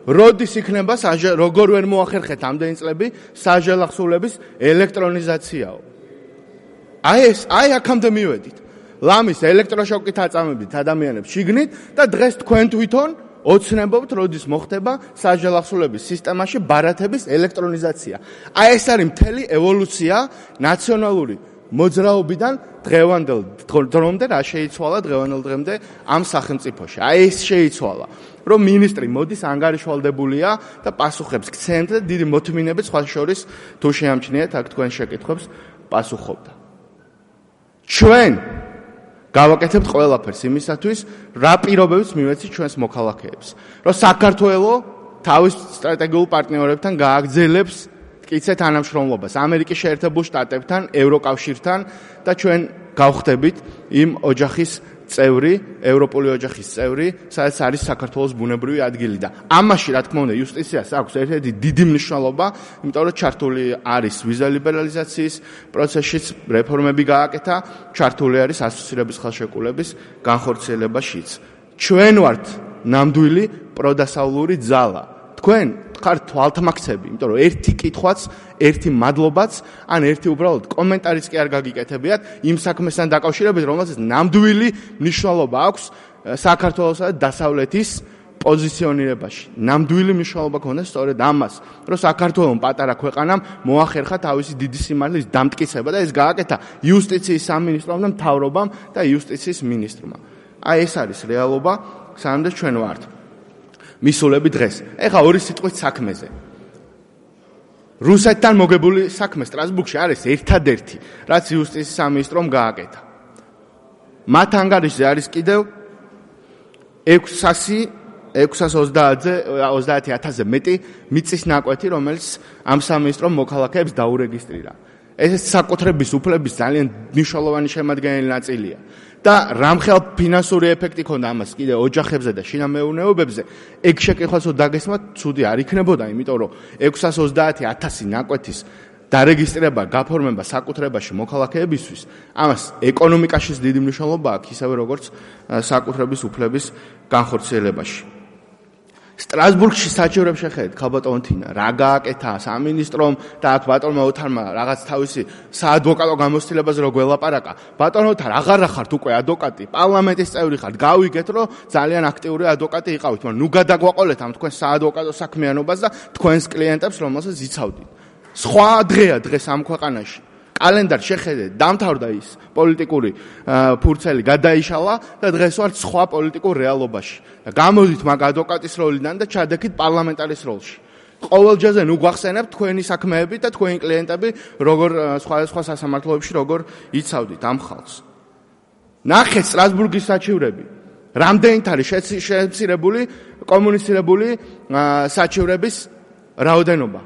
როდის იქნება როგორ ვერ მოახერხეთ ამდენი წლები საჟელახსოვლების ელექტრონიზაციაო? აი აქამდე მივედით. ლამის ელექტროშოკით აწამებდით ადამიანებს შიგნით და დღეს თქვენ თვითონ ოცნებობთ, როდის მოხდება საჟელახსოვლების სისტემაში ბარათების ელექტრონიზაცია. აი ეს არის მთელი ევოლუცია ნაციონალური მოძრაობიდან დღევანდელ დრომდე რა შეიცვალა დღევანდელ დღემდე ამ სახელმწიფოში. აი ეს შეიცვალა, რომ მინისტრი მოდის ანგარიშვალდებულია და პასუხებს გცემთ და დიდი მოთმინებით სხვა შორის თუ შეამჩნიეთ აქ თქვენ შეკითხვებს პასუხობდა. ჩვენ გავაკეთებთ ყველაფერს იმისათვის, რა პირობებს მივეცით ჩვენს მოქალაქეებს, რომ საქართველოს თავის სტრატეგიულ პარტნიორებთან გააგრძელებს მტკიცე თანამშრომლობას ამერიკის შეერთებულ შტატებთან, ევროკავშირთან და ჩვენ გავხდებით იმ ოჯახის წევრი, ევროპული ოჯახის წევრი, სადაც არის საქართველოს ბუნებრივი ადგილი და ამაში რა თქმა უნდა იუსტიციას აქვს ერთ-ერთი დიდი მნიშვნელობა, იმიტომ რომ ჩართული არის ვიზა ლიბერალიზაციის პროცესშიც რეფორმები გააკეთა, ჩართული არის ასოცირების ხელშეკრულების განხორციელებაშიც. ჩვენ ვართ ნამდვილი პროდასავლური ძალა. თქვენ ხართ თვალთმაქცები, იმიტომ რომ ერთი კითხვაც, ერთი მადლობაც, ან ერთი უბრალოდ კომენტარიც კი არ გაგიკეთებიათ იმ საქმესთან დაკავშირებით, რომელსაც ნამდვილი მნიშვნელობა აქვს საქართველოსა და დასავლეთის პოზიციონირებაში. ნამდვილი მნიშვნელობა ქონდეს სწორედ ამას, რომ საქართველოს პატარა ქვეყანამ მოახერხა თავისი დიდი სიმართლის დამტკიცება და ეს გააკეთა იუსტიციის სამინისტრომ და მთავრობამ და იუსტიციის მინისტრმა. აი ეს არის რეალობა, სანამ ჩვენ ვართ მისულები დღეს. ეხლა ორი სიტყვით საქმეზე. რუსეთთან მოგებული საქმე სტრასბურგში არის ერთადერთი, რაც იუსტიციის სამინისტრომ გააკეთა. მათ ანგარიშზე არის კიდევ 630,000-ზე მეტი მიწის ნაკვეთი, რომელიც ამ სამინისტრომ მოქალაქეებს დაურეგისტრირა. ეს საკუთრების უფლების ძალიან მნიშვნელოვანი შემადგენელი ნაწილია. და რამხელ ფინანსური ეფექტი ქონდა ამას კიდე ოჯახებზე და შინამეურნეობებზე, ეგ შეკითხვაც დაგესმათ, ცუდი არ იქნებოდა, იმიტომ რომ 630,000 ნაკვეთის დარეგისტრირება, გაფორმება საკუთრებაში მოქალაქეებისთვის, ამას ეკონომიკაშიც დიდი მნიშვნელობა აქვს, ისევე როგორც საკუთრების უფლების განხორციელებაში. სტრასბურგში საჩივრებს შეხედეთ, ქალბატონო თინა, რა გააკეთა სამინისტრომ და აქ ბატონმა ოთარმა რაღაც თავისი საადვოკატო გამოცდილებას რო გველაპარაკა. ბატონო ოთარ, აღარა ხართ უკვე ადვოკატი, პარლამენტის წევრი ხართ, გავიგეთ, რომ ძალიან აქტიური ადვოკატი იყავით, მაგრამ ნუ გადაგვაყოლეთ ამ თქვენ საადვოკატო საქმიანობას და თქვენს კლიენტებს, რომელსაც იცავდით. სხვა დღეა დღეს ამ ქვეყანაში. კალენდარ შეხედეთ, დამთავრდა ის პოლიტიკური ფურცელი გადაიშალა და დღეს ვართ სხვა პოლიტიკურ რეალობაში. და გამოდით მაგ ადვოკატის როლიდან და ჩადექით პარლამენტარის როლში. ყოველ ჯერზე ნუ გვახსენებთ თქვენი საქმეები და თქვენი კლიენტები როგორ სხვა სასამართლოებში როგორ იცავდით ამ ხალხს. ნახეთ სტრასბურგის საჩივრები. რამდენით არის შემცირებული კომუნიცირებული საჩივრების რაოდენობა?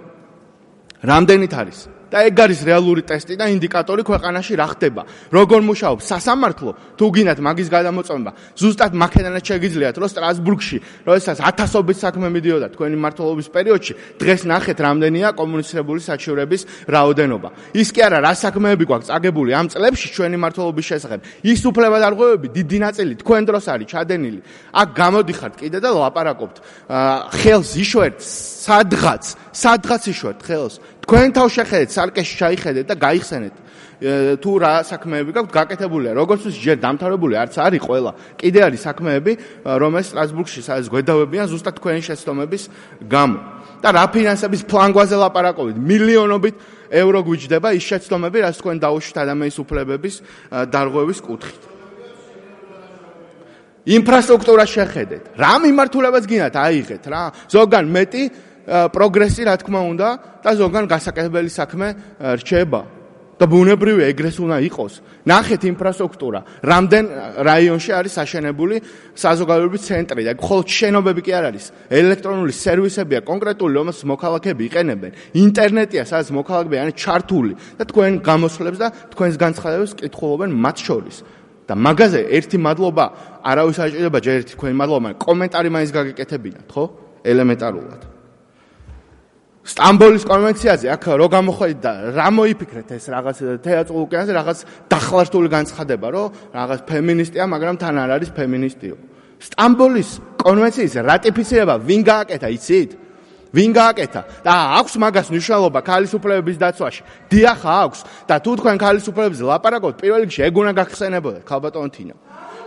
რამდენით არის? და ეგ არის რეალური ტესტი და ინდიკატორი ქვეყანაში რა ხდება. როგორ მუშაობს სასამართლო, თუ გინდათ მაგის გადამოწმება, ზუსტად მაქედანაც შეგიძლიათ, რომ სტრასბურგში, როდესაც ათასობით საქმე მიდიოდა თქვენი მმართველობის პერიოდში, დღეს ნახეთ რამდენია კომუნიცირებული საჩივრების რაოდენობა. ის კი არა, რა საქმეები გვაქვს წაგებული ამ წლებში ჩვენი მმართველობის შესახებ. ის უფლებადარღვევები დიდი ნაწილი თქვენ დროს არის ჩადენილი. აქ გამოდიხართ კიდე და ლაპარაკობთ. ხელს იშვერთ სადღაც იშვერთ ხელს. თქვენ თავ შეხედეთ, სარკეში ჩაიხედეთ და გაიხსენეთ. თუ რა საქმეები გაქვთ გაკეთებულია. როგორც ის ჯერ დამთავრებული არც არის ყველა. კიდე არის საქმეები, რომელიც სტრასბურგში სადაც გვედავებიან ზუსტად თქვენი შეცდომების გამო. და რა ფინანსების ფლანგვაზე ლაპარაკობთ? მილიონობით ევრო გვიჯდება ის შეცდომები, რაც თქვენ დაუშვით ადამიანის უფლებების დარღვევის კუთხით. ინფრასტრუქტურა შეხედეთ. რა მიმართულებაც გინდათ აიღეთ რა. ზოგან მეტი პროგრესი რა თქმა უნდა და ზოგან გასაკეთებელი საქმე რჩება და ბუნებრივია ეგრეს უნდა იყოს. ნახეთ ინფრასტრუქტურა, რამდენ რაიონში არის აშენებული საზოგადოებრივი ცენტრი და მხოლოდ შენობები კი არ არის. ელექტრონული სერვისებია კონკრეტული, რომელსაც მოქალაქეები იყენებენ. ინტერნეტია, სადაც მოქალაქეები არის ჩართული და თქვენ გამოსვლებს და თქვენს განცხადებებს კითხულობენ მათ შორის. და მაგაზე ერთი მადლობა არავის არ ჭირდება, ჯერ ერთი თქვენი მადლობა, მაგრამ კომენტარი მაინც გაგიკეთებინათ, ხო? ელემენტარულად. სტამბოლის კონვენციაზე აქ რო გამოходит და რა მოიფიქრეთ ეს რაღაც თეატრულ ოკეანეზე რაღაც დახლართული განცხადება, რომ რაღაც ფემინისტია, მაგრამ თან არ არის ფემინისტიო. სტამბოლის კონვენციის რატიფიცირება ვინ გააკეთა, იცით? ვინ გააკეთა? და აქვს მაგას მნიშვნელობა ქალის უფლებების დაცვაში. დიახ, აქვს და თუ თქვენ ქალის უფლებებზე ლაპარაკობთ, პირველ რიგში ეგ უნდა გახსენებოდეთ, ქალბატონო თინა.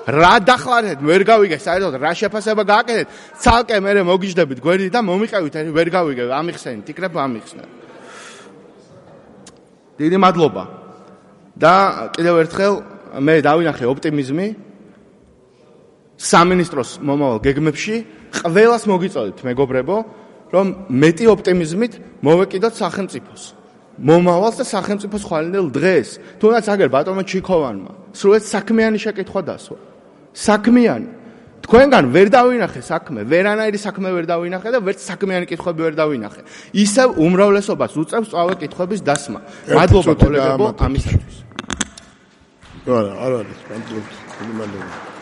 რა დახლარეთ, ვერ გავიგე, საერთოდ რა შეფასება გააკეთეთ, ცალკე მერე მოგიждდებით გვერდით და მომიყევით, ვერ გავიგე, ამიხსენით, იქნებ ამიხსნათ. დიდი მადლობა. და კიდევ ერთხელ მე დავინახე ოპტიმიზმი სამინისტროს მომავალ გეგმებში, ყველას მოგიწოდეთ, მეგობრებო, რომ მეტი ოპტიმიზმით მოვეკიდოთ სახელმწიფოს. მომავალს და სახელმწიფოს ხვალინდელ დღეს. თუნდაც აგერ ბატონმა ჩიქოვანმა სრულად საქმიანი შეკითხვა დასვა. საქმიანი. თქვენგან ვერ დავინახე საქმე, ვერანაირი საქმე ვერ დავინახე და ვერც საქმიანი კითხვები ვერ დავინახე. ისევ უმრავლესობას უწევს სწავლე კითხვების დასმა. მადლობა კოლეგებო ამისათვის. არა, არ არის, მადლობა.